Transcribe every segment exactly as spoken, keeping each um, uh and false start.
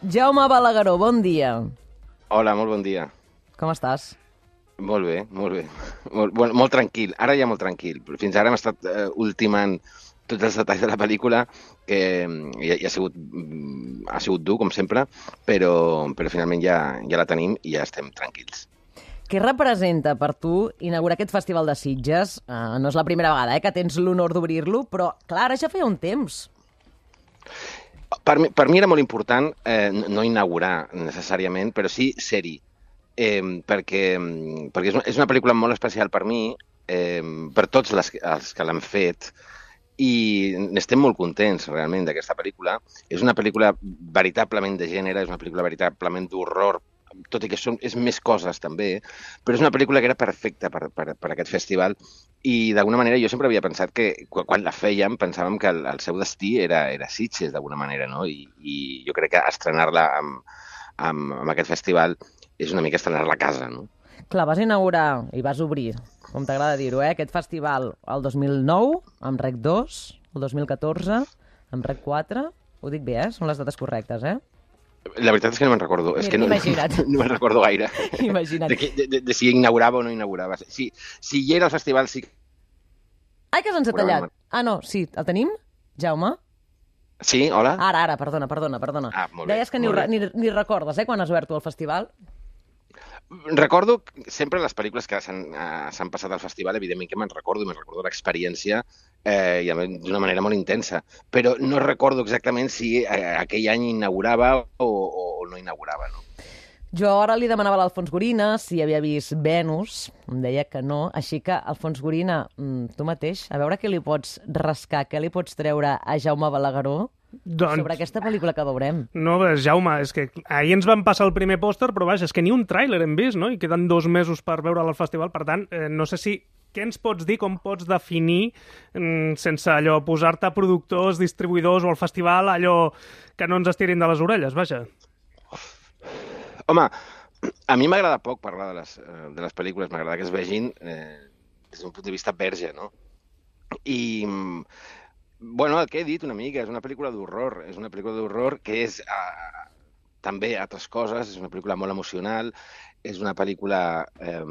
Jaume Balagueró, bon dia. Hola, molt bon dia. Com estàs? Molt bé, molt bé. Molt, molt, molt tranquil. Ara ja molt tranquil. Però fins ara hem estat eh, ultimant tots els detalls de la pel·lícula, que ja, ja ha, sigut, ha sigut dur, com sempre, però, però finalment ja, ja la tenim i ja estem tranquils. Què representa per tu inaugurar aquest festival de Sitges? Uh, no és la primera vegada eh, que tens l'honor d'obrir-lo, però clar, ara ja feia un temps. Per mi, per mi era molt important eh, no inaugurar necessàriament, però sí ser-hi, eh, perquè, perquè és, una, és una pel·lícula molt especial per mi, eh, per tots les, els que l'han fet, i n'estem molt contents realment d'aquesta pel·lícula. És una pel·lícula veritablement de gènere, és una pel·lícula veritablement d'horror, tot i que són, és més coses també, però és una pel·lícula que era perfecta per, per, per aquest festival i d'alguna manera jo sempre havia pensat que quan la fèiem pensàvem que el, el seu destí era, era Sitges d'alguna manera, no? I, i jo crec que estrenar-la amb, amb, amb aquest festival és una mica estrenar-la a casa, no? Clar, vas inaugurar i vas obrir, com t'agrada dir-ho, eh, aquest festival el dos mil nou amb Rec dos, el dos mil catorze amb Rec quatre, ho dic bé, eh? Són les dates correctes, eh? La veritat és que no me'n recordo. Mira, és que no, imagina't. No, no me'n recordo gaire. Imagina't. De, de, de, de si inaugurava o no inaugurava. Si, si hi era al festival, sí. Ai, que se'ns ha tallat. Ah, no, sí, el tenim? Jaume? Sí, hola? Ara, ara, perdona, perdona, perdona. Ah, molt bé, Deies que ni, molt bé. ni, ni recordes, eh, quan has obert tu el festival? Recordo sempre les pel·lícules que s'han uh, s'han passat al festival, evidentment que me'n recordo, i me'n recordo l'experiència eh, i d'una manera molt intensa, però no recordo exactament si eh, aquell any inaugurava o, o no inaugurava, no? Jo ara li demanava a l'Alfons Gorina si havia vist Venus, em deia que no, així que, Alfons Gorina, tu mateix, a veure què li pots rascar, què li pots treure a Jaume Balagueró doncs, sobre aquesta pel·lícula que veurem. No, Jaume, és que ahir ens van passar el primer pòster, però vaja, és que ni un tràiler hem vist, no? I queden dos mesos per veure'l al festival, per tant, eh, no sé si... Què ens pots dir, com pots definir, mm, sense allò posar-te productors, distribuïdors o al festival, allò que no ens estirin de les orelles, vaja? Home, a mi m'agrada poc parlar de les, de les pel·lícules, m'agrada que es vegin eh, des d'un punt de vista verge, no? I, bueno, el que he dit una mica, és una pel·lícula d'horror, és una pel·lícula d'horror que és eh, també altres coses, és una pel·lícula molt emocional, és una pel·lícula eh,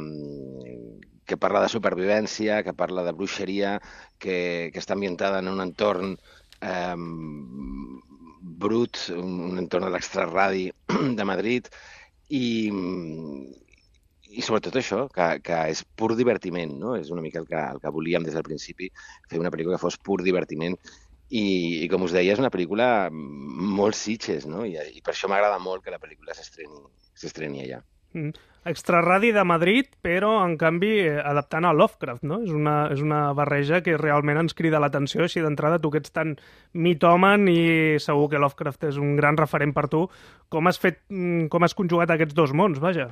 que parla de supervivència, que parla de bruixeria, que, que està ambientada en un entorn eh, brut, un entorn de l'extraradi de Madrid, i, i sobretot això, que, que és pur divertiment, no? És una mica el que, el que volíem des del principi, fer una pel·lícula que fos pur divertiment, i, i com us deia, és una pel·lícula molt Sitges, no? I, i per això m'agrada molt que la pel·lícula s'estreni s'estreni allà. Mm. Extraradi de Madrid, però, en canvi, adaptant a Lovecraft, no? És una, és una barreja que realment ens crida l'atenció, així d'entrada, tu que ets tan mitòman i segur que Lovecraft és un gran referent per tu. Com has fet, com has conjugat aquests dos mons, vaja?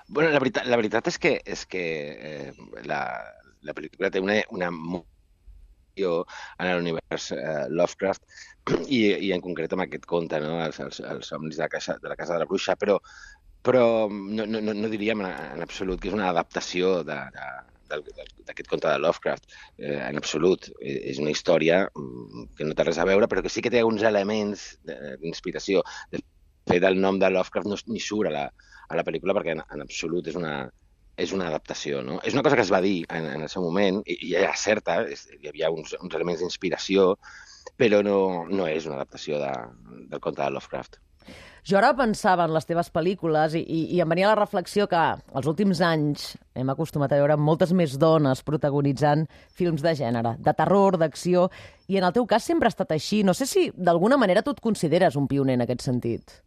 Bueno, la veritat, la veritat és que, és que eh, la, la pel·lícula té una, una en l'univers eh, Lovecraft i, i en concret amb aquest conte, no? els, els, els somnis de la, casa, de la casa de la bruixa, però, però no, no, no diríem en, en absolut que és una adaptació de, de, d'aquest conte de Lovecraft, eh, en absolut. És una història que no té res a veure, però que sí que té uns elements d'inspiració. De fet, el nom de Lovecraft no ni surt a la, a la pel·lícula perquè en, en absolut és una, és una adaptació, no? És una cosa que es va dir en, en el seu moment, i, i era certa, és, hi havia uns, uns elements d'inspiració, però no, no és una adaptació de, del conte de Lovecraft. Jo ara pensava en les teves pel·lícules i, i, i em venia la reflexió que els últims anys hem acostumat a veure moltes més dones protagonitzant films de gènere, de terror, d'acció, i en el teu cas sempre ha estat així. No sé si d'alguna manera tu et consideres un pioner en aquest sentit.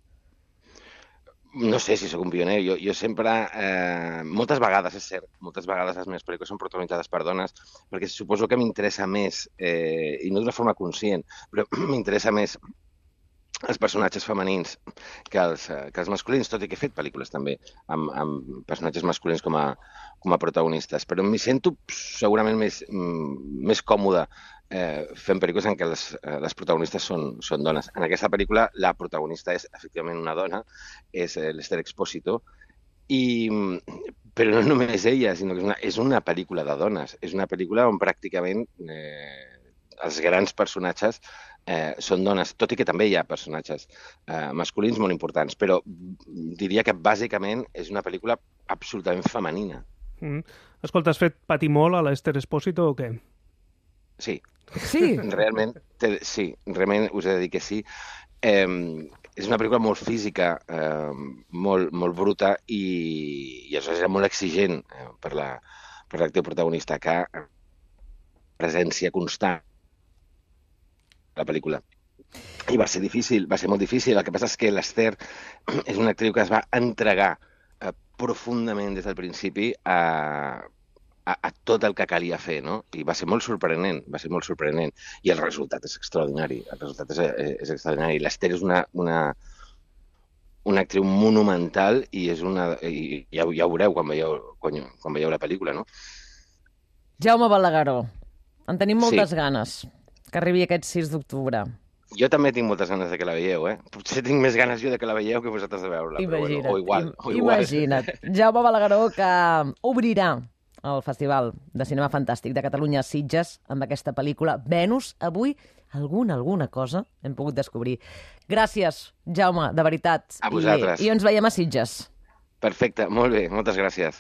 No sé si sóc un pioner. Jo, jo sempre... Eh, moltes vegades, és cert, moltes vegades les meves pel·lícules són protagonitzades per dones, perquè suposo que m'interessa més, eh, i no d'una forma conscient, però m'interessa més els personatges femenins que els, que els masculins, tot i que he fet pel·lícules també amb, amb personatges masculins com a, com a protagonistes, però m'hi sento segurament més, més còmode eh, fent pel·lícules en què les, les protagonistes són, són dones. En aquesta pel·lícula la protagonista és efectivament una dona, és l'Esther Expósito, i, però no només ella, sinó que és una, és una pel·lícula de dones, és una pel·lícula on pràcticament eh, els grans personatges eh, són dones, tot i que també hi ha personatges eh, masculins molt importants, però diria que bàsicament és una pel·lícula absolutament femenina. Mm. Escolta, has fet patir molt a l'Esther Espósito o què? Sí. Sí? Realment, te, sí, realment us he de dir que sí. Eh, és una pel·lícula molt física, eh, molt, molt bruta i, i això era molt exigent eh, per la per l'actiu protagonista, que presència constant a la pel·lícula. I va ser difícil, va ser molt difícil. El que passa és que l'Esther és una actriu que es va entregar eh, profundament des del principi a, a, a tot el que calia fer, no? I va ser molt sorprenent, va ser molt sorprenent. I el resultat és extraordinari, el resultat és, és extraordinari. L'Esther és una, una, una actriu monumental i és una... I ja, ja ho veureu quan veieu, quan, quan veieu la pel·lícula, no? Jaume Balagueró, en tenim moltes Sí. ganes que arribi aquest sis d'octubre. Jo també tinc moltes ganes de que la veieu, eh? Potser tinc més ganes jo de que la veieu que vosaltres de veure-la, però Imagina't, bueno, o igual, im- o igual. imagina't. Jaume Balagueró, que obrirà el Festival de Cinema Fantàstic de Catalunya a Sitges amb aquesta pel·lícula Venus. Avui alguna, alguna cosa hem pogut descobrir. Gràcies, Jaume, de veritat. A vosaltres. I, I ens veiem a Sitges. Perfecte, molt bé, moltes gràcies.